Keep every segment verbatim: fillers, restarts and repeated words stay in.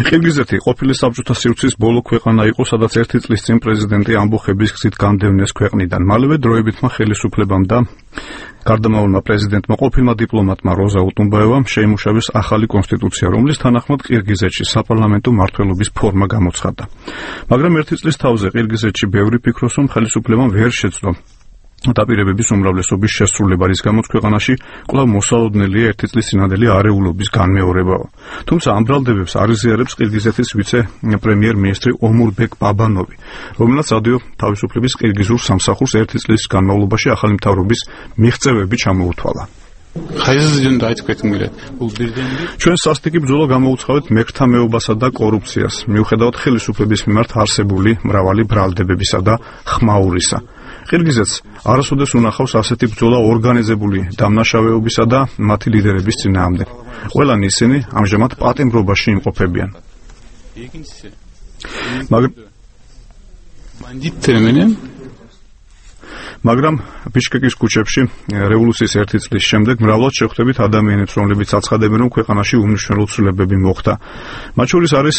ყირგიზეთი ყოფილი საბჭოთა სივრცის ბოლო ქვეყანა იყო, სადაც ერთი წლის წინ პრეზიდენტი ამბოხების გზით განდევნეს ქვეყნიდან. მალევე დროებითმა ხელისუფლებამ და გარდამავალმა პრეზიდენტმა ყოფილმა დიპლომატმა როზა უტუნბაევამ შეიმუშავეს ახალი კონსტიტუცია, რომლის თანახმად ყირგიზეთში საპარლამენტო მმართველობის ფორმა გამოცხადდა. მაგრამ ერთი წლის თავზე ყირგიზეთში ბევრი ფიქრობს, რომ ხელისუფლებამ ვერ შეძლო დაპირებების უმრავლესობის შესრულება, რის გამოც ქვეყანაში კვლავ მოსალოდნელია ერთი წლის წინანდელი არეულობის განმეორებაო. თუმცა ამ ბრალდებებს არ იზიარებს ყირგიზეთის ვიცე-პრემიერ-მინისტრი ომურბეკ ბაბანოვი, რომელსაც ადიო თავისუფლების ყირგიზურ სამსახურს ერთი წლის განმავლობაში ახალი მთავრობის მიღწევები ჩამოუთვალა. ჩვენ სასტიკი ბრძოლა გამოუცხავთ მეკრთამეობასა და კორუფციას, მიუხედავად ხელისუფლების მიმართ არსებული მრავალი ბრალდებებისა და ხმაურისა. ყირგიზეთს არასოდეს უნახავს ასეთი ბრძოლა ორგანიზებული დამნაშავეობისა და მათი ლიდერების წინააღმდეგ. ყველანი ისინი ამჟამად პატიმრობაში იმყოფებიან. მაგრამ ბიშკეკის ქუჩებში რევოლუციის ერთი წლის შემდეგ მრავლად შეხვდებით ადამიანებს, რომლებიც აცხადებენ, რომ ქვეყანაში უმნიშვნელო ცვლილებები მოხდა. მათ შორის არის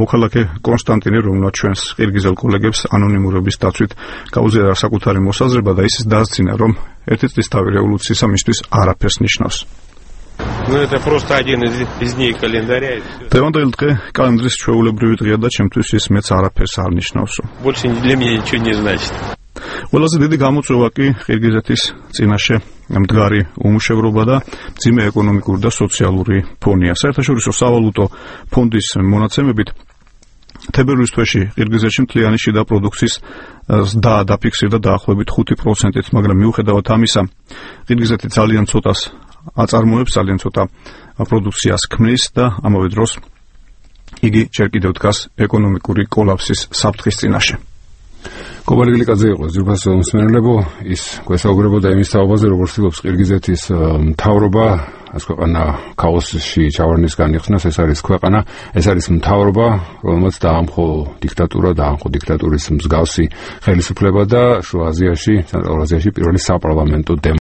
მოქალაქე კონსტანტინე, რომელსაც ჩვენს ყირგიზელ კოლეგებს ანონიმურობის დაცვით გაუზიარა საკუთარი მოსაზრება და ისიც დაასწინა, რომ ერთი წლის თავი რევოლუციისა მისთვის არაფერს ნიშნავს. დღევანდელი დღე კალენდრის ჩვეულებრივი დღეა და ჩემთვის ის მეც არაფერს არ ნიშნავს. ყველაზე დიდი გამოწვევა კი ყირგიზეთის წინაშე მდგარი უმუშევრობა და მძიმე ეკონომიკური და სოციალური ფონია. საერთაშორისო სავალუტო ფონდის მონაცემებით თებერვლის თვეში ყირგიზეთში მთლიანი შიდა პროდუქციის ზრდა დაფიქსირდა დაახლოებით ხუთი პროცენტით, მაგრამ მიუხედავად ამისა ყირგიზეთი ძალიან ცოტას აწარმოებს, ძალიან ცოტა პროდუქციას ქმნის და ამავე დროს იგი ჯერ კიდევ დგას ეკონომიკური კოლაფსის საფრთხის წინაშე. კობალი გლიკაძე იყო ძირფასო მსმენელებო, ის გვესაუბრებოდა იმის თაობაზე, როგორც ცდილობს ყირგიზეთის მთავრობა ეს ქვეყანა ქაოსში ჩავარდნის განიხსნას. ეს არის ქვეყანა, ეს არის მთავრობა, რომელმაც დაამხო დიქტატურა, დაამხო დიქტატურის მსგავსი ხელისუფლება და შუა აზიაში, ცენტრალურ აზიაში პირველი საპარლამენტო